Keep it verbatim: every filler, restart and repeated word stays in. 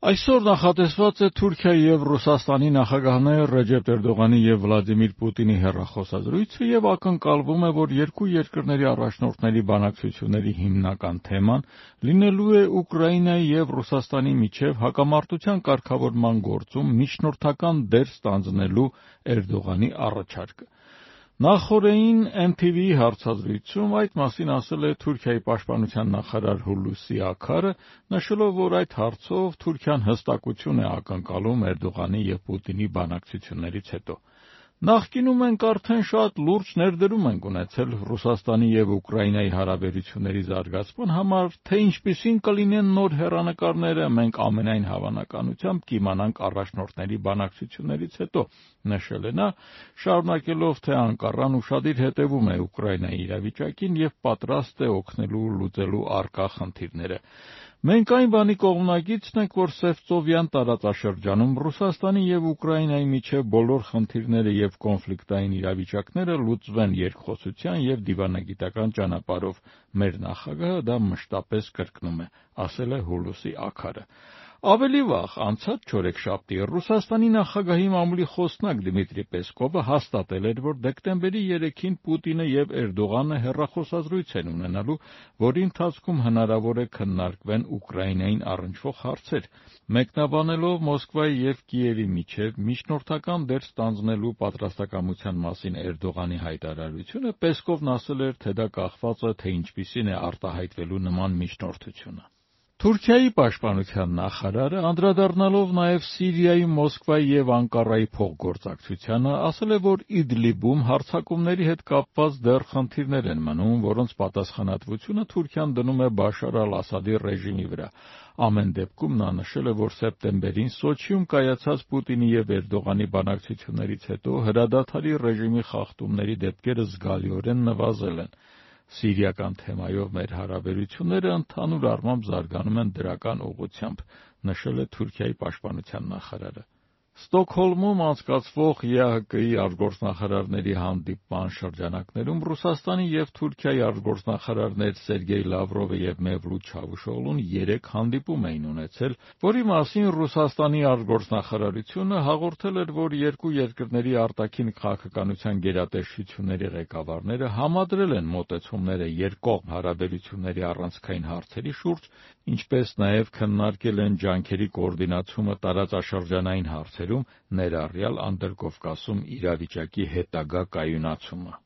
Այսօր նախատեսված է Թուրքիայի և Ռուսաստանի նախագահներ Ռեջեփ Էրդողանի և Վլադիմիր Պուտինի հեռախոսազրույցը և ակնկալվում է, որ երկու երկրների առաջնորդների բանակցությունների հիմնական թեման լինելու է Ուկրաինայի և Ռուսաստանի միջև հակամարտության կարգավորման գործում միջնորդական դեր ստանձնելու Էրդողանի առաջարկը։ Նախօրեին Էն Թի Վիի հարցազրույցում այդ մասին ասել է Թուրքիայի պաշտպանության նախարար Հուլուսի Աքարը, նշելով, որ այդ հարցով Թուրքիան հստակություն է ակնկալում Էրդողանի և Պուտինի բանակցություններից հետո։ Նախկինում մենք արդեն շատ լուրջ ներդրում ենք ունեցել Ռուսաստանի և Ուկրաինայի հարաբերությունների զարգացման համար, թե ինչպիսին կլինեն նոր հեռանկարները, մենք ամենայն հավանականությամբ կիմանանք առաջնորդների բանակցություններից հետո, նշել է նա, շարունակելով, թե Անկարան ուշադիր հետևում է Ուկրաինայի իրավիճակին և պատրաստ է օգնելու լուծելու առկա խնդիրները։ Մենք այն բանի կողմնակիցն ենք, որ Սևծովյան տարածաշրջանում Ռուսաստանի և Ուկրաինայի միջև բոլոր խնդիրները և կոնֆլիկտային իրավիճակները լուծվեն երկխոսության և դիվանագիտական ճանապարհով։ Մեր նախագահը դա մշտապես կրկնում է, ասել է Հուլուսի Աքարը։ Ավելի վաղ, անցած չորեքշաբթի, Ռուսաստանի նախագահի մամուլի խոսնակ Դմիտրի Պեսկովը հաստատել էր, որ դեկտեմբերի երեքին Պուտինը և Էրդողանը հեռախոսազրույց են ունենալու, որի ընթացքում հնարավոր է քննարկվեն Ուկրաինային առնչվող հարցեր։ Մեկնաբանելով Մոսկվայի և Կիևի միջև միջնորդական դեր ստանձնելու պատրաստակամության մասին Էրդողանի հայտարարությունը, Պեսկովն ասել էր, թե դա կախված է, թե ինչպիսին է արտահայտվելու նման միջնորդությունը։ Թուրքիայի պաշտպանության նախարարը, անդրադառնալով նաև Սիրիայի, Մոսկվայի և Անկարայի փոխգործակցությանը, ասել է, որ Իդլիբում հարձակումների հետ կապված դեռ խնդիրներ են մնում, որոնց պատասխանատվությունը Թուրքիան դնում է Բաշար ալ-Ասադի ռեժիմի վրա։ Ամեն դեպքում նա նշել է, որ սեպտեմբերին Սոչիում կայացած Պուտինի և Էրդողանի բանակցություններից հետո հրադադարի ռեժիմի խախտումների դեպքերը զգալիորեն նվազել են։ Սիրիական թեմայով մեր հարաբերությունները ընդհանուր առմամբ զարգանում են դրական ուղղությամբ, նշել է Թուրքիայի պաշտպանության նախարարը։ Ստոկհոլմում անցկացվող Ե Ահ Կի արտգործնախարարների հանդիպման շրջանակներում Ռուսաստանի և Թուրքիայի արտգործնախարարներ Սերգեյ Լավրովը և Մևլութ Չավուշօղլուն երեկ հանդիպում էին ունեցել, որի մասին Ռուսաստանի արտգործնախարարությունը հաղորդել էր, որ երկու երկրների արտաքին քաղաքականության գերատեսչությունների ղեկավարները համադրել են մոտեցումները երկկողմ հարաբերությունների առանցքային հարցերի շուրջ, ինչպես նաև քննարկել են ջանքերի կոորդինացումը տարածաշրջանային հարցերում, ներառյալ Անդրկովկասում իրավիճակի հետագա կայունացումը։